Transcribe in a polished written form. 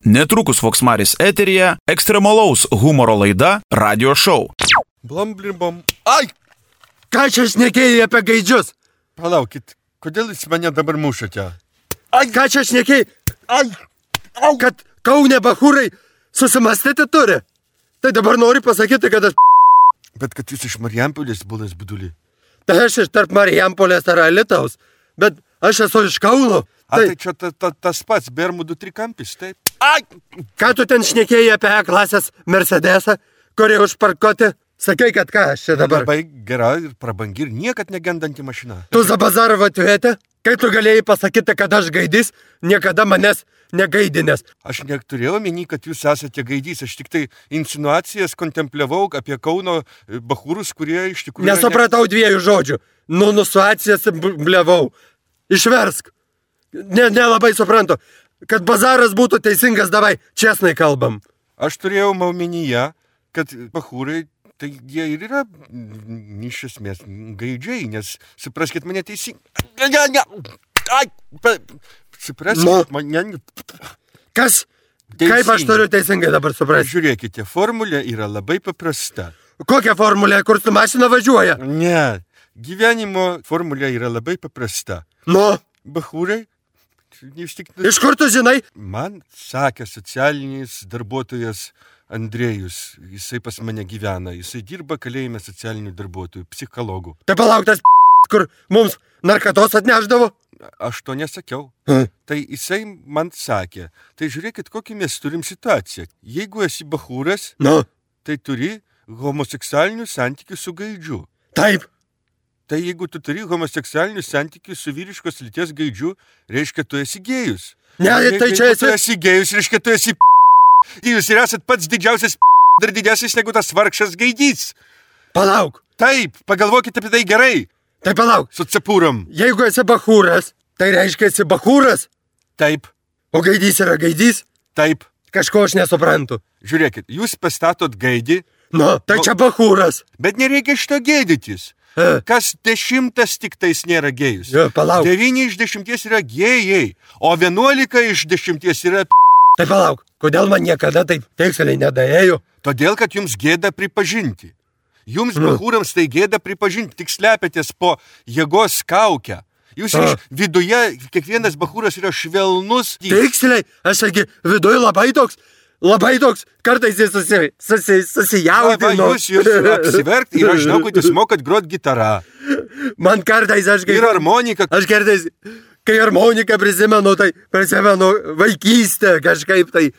Netrukus Voksmaris eteryje ekstremalaus humoro laida Radio Show. Blamblimbom. Ai! Ką čia šnekėjai apie gaidžius? Palaukit, kodėl jūs mane dabar mušate? Ai, ką čia šnekėjai? Ai! Au! Kad Kaune bachūrai susimastyti turi? Tai dabar nori pasakyti, kad aš... Bet kad jūs iš Marijampolės bulas budulį. Tai aš iš tarp Marijampolės ar Alytaus, bet aš esu iš Kauno. Tai čia tas pats Bermudų trikampis, taip? Ai! Ką tu ten šnekėjai apie E-klasės Mercedesą, kurį užparkuoti? Sakai, kad ką aš čia dabar? Labai gera ir prabangi ir niekad negendanti mašina. Tu Zabazarovo atvietė? Kai tu galėjai pasakyti, kad aš gaidys, niekada manęs negaidinės. Aš neturėjau omeny, kad jūs esate gaidys, aš tik tai insinuacijas kontempliavau apie Kauno bachūrus, kurie iš tikrųjų... Nesupratau dviejų žodžių. Nusuacijas blevau. Išversk. Nelabai suprantu. Kad bazaras būtų teisingas, davai, česnai kalbam. Aš turėjau omenyje, kad bachūrai, tai jie ir yra iš esmės gaidžiai, nes supraskit mane teisingai. Supraskit mane. Kas? Teisingai. Kaip aš turiu teisingai dabar suprasti? Žiūrėkite, formulė yra labai paprasta. Kokia formulė, kur su mašina važiuoja? Ne, gyvenimo formulė yra labai paprasta. Nu? Bachūrai. Iš kur tu žinai? Man sakė socialinis darbuotojas Andrėjus, jisai pas mane gyvena, jisai dirba kalėjime socialinių darbuotojų, psichologų. Tai palauktas kur mums narkatos atneždavo? Aš to nesakiau. Tai jisai man sakė, tai žiūrėkit, kokį mes turim situaciją. Jeigu esi bachūras, tai turi homoseksualinių santykių su gaidžiu. Taip. Tai jeigu tu turi homoseksualinių santykių su vyriškos lyties gaidžiu, reiškia, tu esi gėjus. Ne, tai čia tu esi gėjus, reiškia, tu esi Jūs ir esat pats didžiausias dar didesnis negu tas vargšas gaidys. Palauk. Taip, pagalvokite apie tai gerai. Tai palauk. Su cepūram. Jeigu esi bachūras, tai reiškia esi bachūras? Taip. O gaidys yra gaidys? Taip. Kažko aš nesuprantu. Žiūrėkit, jūs pastatot gaidį. Tai čia bachūras. Bet nereikia šito gėdytis. Kas 10 tik tais nėra gėjus. Palauk. 9 iš 10 yra gėjai, o 11 iš 10 yra Tai palauk, kodėl man niekada taip tiksliai nedaėjo? Todėl, kad jums gėda pripažinti. Jums bachūrams tai gėda pripažinti, tik slepiatės po jėgos kaukę. Jūs iš viduje, kiekvienas bachūras yra švelnus. Tiksliai, aš sakė, viduje labai toks, kartais jis susijaudino. Jūs apsiverkti ir aš žinau, kad jūs mokat grot gitarą. Man kartais ir harmonika. Aš kartais, kai harmoniką prisimenu vaikystę kažkaip tai.